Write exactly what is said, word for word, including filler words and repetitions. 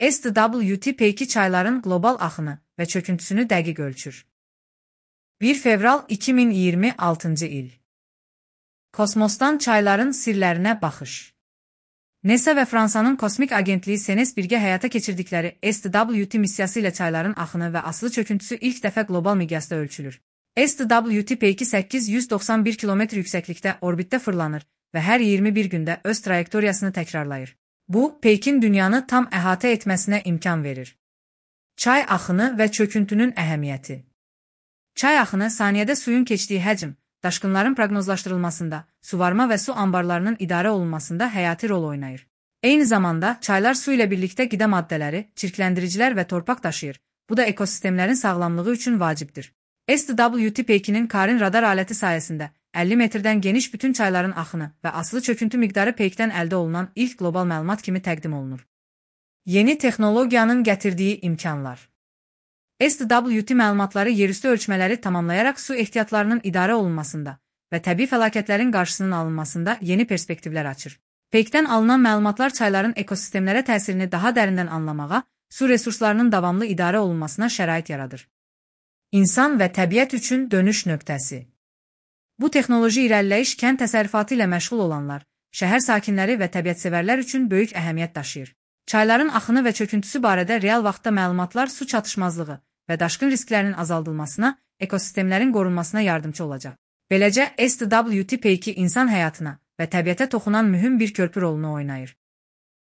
S W T P iki çayların qlobal axını və çöküntüsünü dəqiq ölçür. bir fevral iki min iyirmi altıncı il. Kosmosdan çayların sirlərinə baxış. NASA və Fransanın kosmik agentliyi C N E S birgə həyata keçirdikləri S W T missiyası ilə çayların axını və asılı çöküntüsü ilk dəfə qlobal miqyasda ölçülür. S W T P iki səkkiz yüz doxsan bir kilometr yüksəklikdə orbitdə fırlanır və hər iyirmi bir gündə öz trayektoriyasını təkrarlayır. Bu, Peykin dünyanı tam əhatə etməsinə imkan verir. Çay axını və çöküntünün əhəmiyyəti. Çay axını saniyədə suyun keçdiyi həcm, daşqınların proqnozlaşdırılmasında, suvarma və su anbarlarının idarə olunmasında həyati rol oynayır. Eyni zamanda, çaylar su ilə birlikdə qida maddələri, çirkləndiricilər və torpaq daşıyır. Bu da ekosistemlərin sağlamlığı üçün vacibdir. S W T P ikinin Karin radar aləti sayəsində əlli metrdən geniş bütün çayların axını və asılı çöküntü miqdarı Peykdən əldə olunan ilk qlobal məlumat kimi təqdim olunur. Yeni texnologiyanın gətirdiyi imkanlar. S W T məlumatları yerüstü ölçmələri tamamlayaraq su ehtiyatlarının idarə olunmasında və təbii fəlakətlərin qarşısının alınmasında yeni perspektivlər açır. Peykdən alınan məlumatlar çayların ekosistemlərə təsirini daha dərindən anlamağa, su resurslarının davamlı idarə olunmasına şərait yaradır. İnsan və təbiət üçün dönüş nöqtəsi. Bu texnoloji irəliləyiş kənd təsərrüfatı ilə məşğul olanlar, şəhər sakinləri və təbiətsevərlər üçün böyük əhəmiyyət daşıyır. Çayların axını və çöküntüsü barədə real vaxtda məlumatlar su çatışmazlığı və daşqın risklərinin azaldılmasına, ekosistemlərin qorunmasına yardımcı olacaq. Beləcə, S W T P iki insan həyatına və təbiətə toxunan mühüm bir körpü rolunu oynayır.